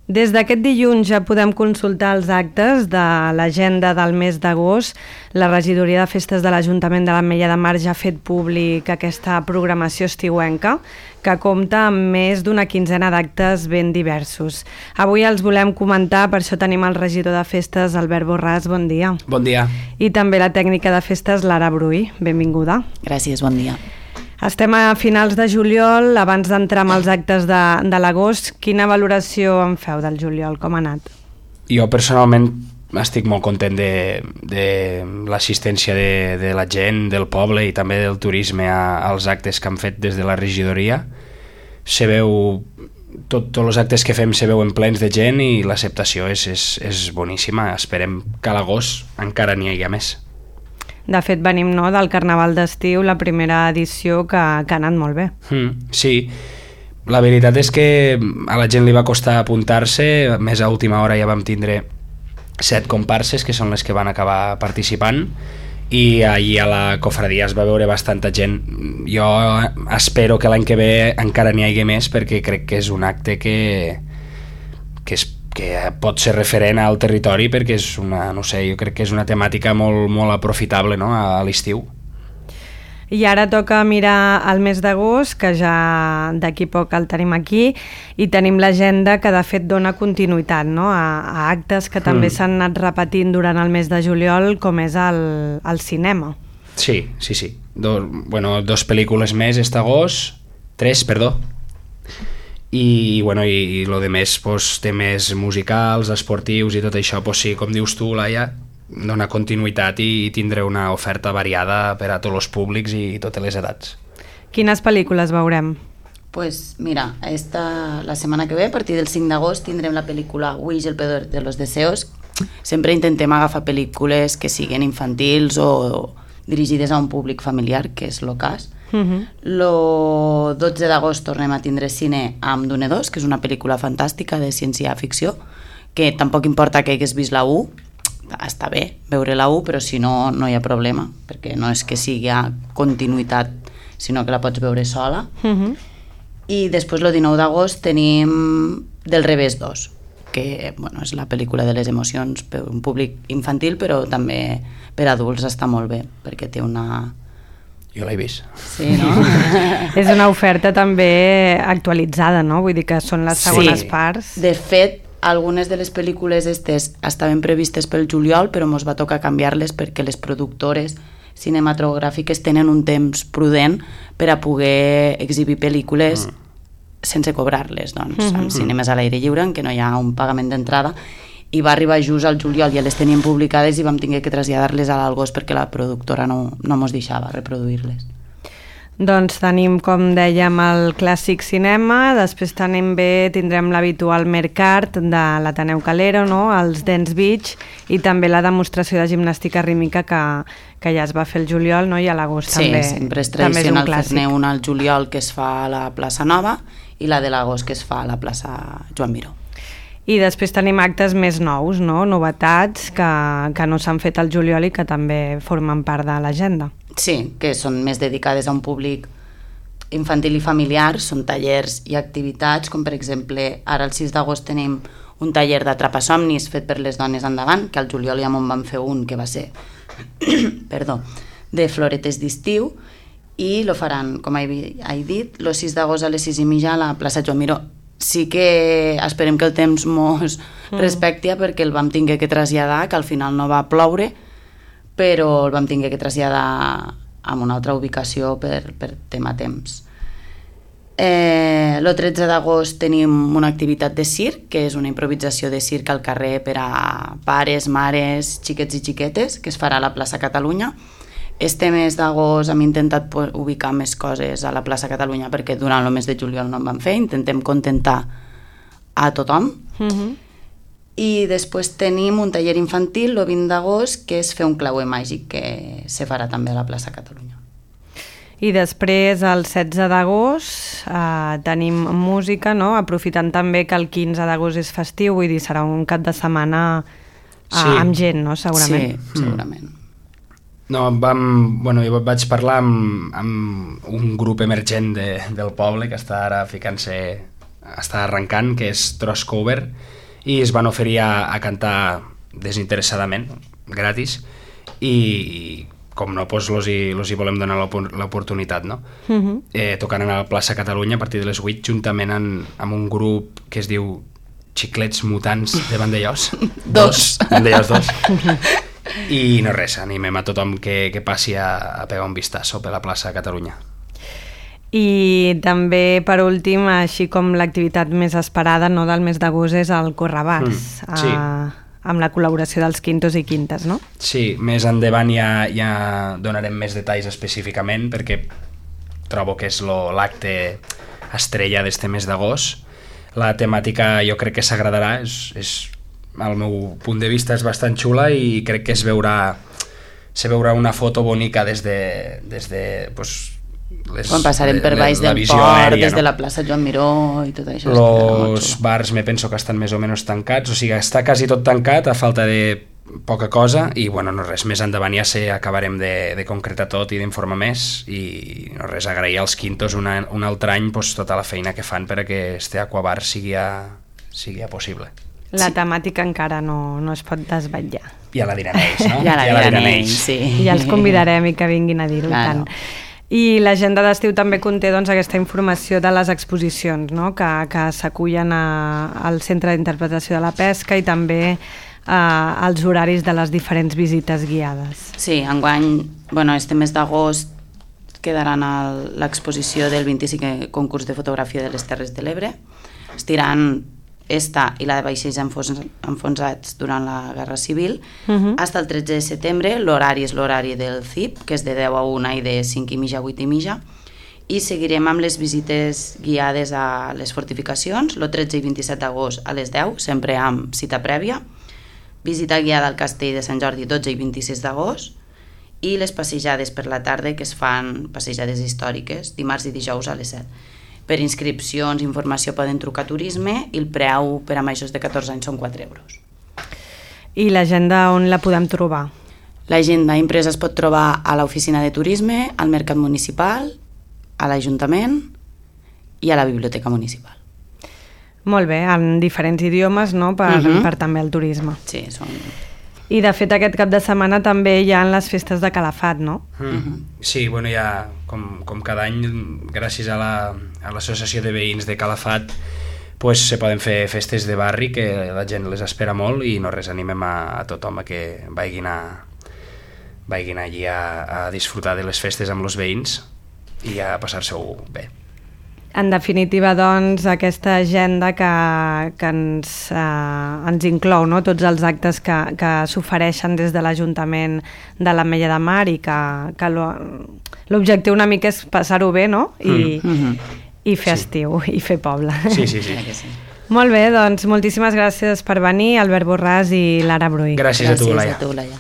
Des d'aquest dilluns ja podem consultar els actes de l'agenda del mes d'agost. La regidoria de festes de l'Ajuntament de l'Ametlla de Mar ja ha fet públic aquesta programació estiuenca, que compta amb més d'una quinzena d'actes ben diversos. Avui els volem comentar, per això tenim el regidor de festes, Albert Borràs, bon dia. Bon dia. I també la tècnica de festes, Lara Bruy, benvinguda. Gràcies, bon dia. Estem a finals de juliol, abans d'entrar amb els actes de l'agost. Quina valoració en feu del juliol? Com ha anat? Jo personalment estic molt content de l'assistència de la gent, del poble i també del turisme als actes que han fet des de la regidoria. Se veu, tots els actes que fem se veuen plens de gent i l'acceptació és boníssima. Esperem que a l'agost encara n'hi hagi més. De fet, venim del Carnaval d'estiu, la primera edició que ha anat molt bé. Sí, la veritat és que a la gent li va costar apuntar-se, més a última hora ja vam tindre 7 comparses, que són les que van acabar participant, i ahir a la cofradia es va veure bastanta gent. Jo espero que l'any que ve encara n'hi hagi més, perquè crec que és un acte que pot ser referent al territori, perquè és una, no sé, jo crec que és una temàtica molt aprofitable, no?, a l'estiu. I ara toca mirar el mes d'agost, que ja d'aquí poc el tenim aquí, i tenim l'agenda que de fet dona continuïtat, no?, a actes que també s'han anat repetint durant el mes de juliol, com és el cinema. Sí. Dos pel·lícules més aquest agost, 3, perdó. I lo de més, temes musicals, esportius i tot això, sí, com dius tu, Laia, dona continuïtat i tindré una oferta variada per a tots els públics i totes les edats. Quines pel·lícules veurem? Pues mira, la setmana que ve, a partir del 5 d'agost, tindrem la pel·lícula Wish, el peor de los deseos. Sempre intentem agafar pel·lícules que siguin infantils o dirigides a un públic familiar, que és el cas. El 12 d'agost tornem a tindre cine amb Dune 2, que és una pel·lícula fantàstica de ciència-ficció, que tampoc importa que hagués vist la 1, està bé veure la 1, però si no, no hi ha problema, perquè no és que sigui continuïtat, sinó que la pots veure sola. I després el 19 d'agost tenim Del revés 2, que és la pel·lícula de les emocions per un públic infantil, però també per adults està molt bé, perquè té una... Jo l'he vist. Sí, no? És una oferta també actualitzada, no? Vull dir que són les segones parts. De fet, algunes de les pel·lícules estaven previstes pel juliol, però ens va tocar canviar-les perquè les productores cinematogràfiques tenen un temps prudent per a poder exhibir pel·lícules sense cobrar-les, doncs, en cinemes a l'aire lliure, en què no hi ha un pagament d'entrada, i va arribar just al juliol, ja les teníem publicades i vam haver que traslladar-les a l'agost perquè la productora no ens deixava reproduir-les. Doncs tenim, com dèiem, el clàssic cinema, després tindrem l'habitual Mercart de l'Ateneu Calero, no?, els Dance Beach, i també la demostració de gimnàstica rítmica que ja es va fer el juliol, no?, i a l'agost també. Sí, sempre és tradicional fer-ne una al juliol que es fa a la plaça Nova i la de l'agost que es fa a la plaça Joan Miró. I després tenim actes més nous, no?, novetats que no s'han fet al juliol i que també formen part de l'agenda. Sí, que són més dedicades a un públic infantil i familiar, són tallers i activitats, com per exemple, ara el 6 d'agost tenim un taller d'atrapasomnis fet per les dones endavant, que al juliol ja me'n van fer un que va ser de floretes d'estiu, i lo faran, com he dit, el 6 d'agost a les 6:30 a la plaça Joan Miró. Sí que esperem que el temps mos respecti, perquè el vam haver que traslladar, que al final no va ploure, però el vam haver que traslladar a una altra ubicació per tema temps. El 13 d'agost tenim una activitat de circ, que és una improvisació de circ al carrer per a pares, mares, xiquets i xiquetes, que es farà a la plaça Catalunya. Este mes d'agost hem intentat ubicar més coses a la plaça Catalunya, perquè durant el mes de juliol no en vam fer, intentem contentar a tothom. I després tenim un taller infantil el 20 d'agost, que és fer un clauer màgic, que se farà també a la plaça Catalunya. I després, el 16 d'agost, tenim música, no?, aprofitant també que el 15 d'agost és festiu, vull dir, serà un cap de setmana amb gent, no?, segurament. Sí, segurament. No, jo vaig parlar amb un grup emergent del poble que està ara ficant-se està arrencant, que és Trust Cover, i es van oferir a cantar desinteressadament, gratis, i com no, doncs los hi volem donar l'oportunitat, no? Tocaran a la plaça Catalunya a partir de les 8, juntament amb un grup que es diu Xiclets Mutants de Vandellós. Vandellós 2. I no res, animem a tothom que passi a pegar un vistazo per la plaça Catalunya. I també, per últim, així com l'activitat més esperada, no, del mes d'agost, és el Correbars, sí. Amb la col·laboració dels Quintos i Quintes, no? Sí, més endavant ja donarem més detalls específicament, perquè trobo que és l'acte estrella d'este mes d'agost. La temàtica jo crec que s'agradarà, al meu punt de vista és bastant xula i crec que se veurà una foto bonica des de pues, quan passarem per baix del port, des de la plaça Joan Miró i tot això. Els bars me penso que estan més o menys tancats, o sigui, està quasi tot tancat a falta de poca cosa i bueno, no res, més endavant ja acabarem de concretar tot i d'informar més i no res, agrair als Quintos un altre any pues, tota la feina que fan perquè este aquabar sigui possible. La temàtica encara no es pot desvetllar. Ja la diran ells, no? Ja la diran ells, sí. Ja els convidarem i que vinguin a dir-ho tant. I l'agenda d'estiu també conté doncs, aquesta informació de les exposicions, no? que s'acullen al Centre d'Interpretació de la Pesca i també els horaris de les diferents visites guiades. Sí, enguany, este mes d'agost quedaran l'exposició del 25è concurs de fotografia de les Terres de l'Ebre. Estiran esta i la de vaixells enfonsats durant la Guerra Civil. Fins el 13 de setembre, l'horari és l'horari del CIP, que és de 10 a 1 i de 5:30 a 8:30, i seguirem amb les visites guiades a les fortificacions, el 13 i 27 d'agost a les 10, sempre amb cita prèvia, visita guiada al Castell de Sant Jordi 12 i 26 d'agost, i les passejades per la tarda, que es fan passejades històriques, dimarts i dijous a les 7. Per inscripcions i informació poden trucar a Turisme i el preu per a majors de 14 anys són 4 euros. I l'agenda on la podem trobar? L'agenda impresa es pot trobar a l'oficina de Turisme, al Mercat Municipal, a l'Ajuntament i a la Biblioteca Municipal. Molt bé, en diferents idiomes, no?, per també el turisme. Sí, són... I de fet aquest cap de setmana també hi ha les festes de Calafat, no? Sí, bueno, ja com cada any, gràcies a l'associació de veïns de Calafat, pues, se poden fer festes de barri que la gent les espera molt i no res, animem a tothom a que vagin allí a disfrutar de les festes amb els veïns i a passar-se-ho bé. En definitiva, doncs, aquesta agenda que ens inclou, no?, tots els actes que s'ofereixen des de l'Ajuntament de l'Ametlla de Mar i que l'objectiu una mica és passar-ho bé, no?, i fer estiu, i fer poble. Sí. Molt bé, doncs moltíssimes gràcies per venir, Albert Borràs i Lara Bruy. Gràcies a tu, Laia.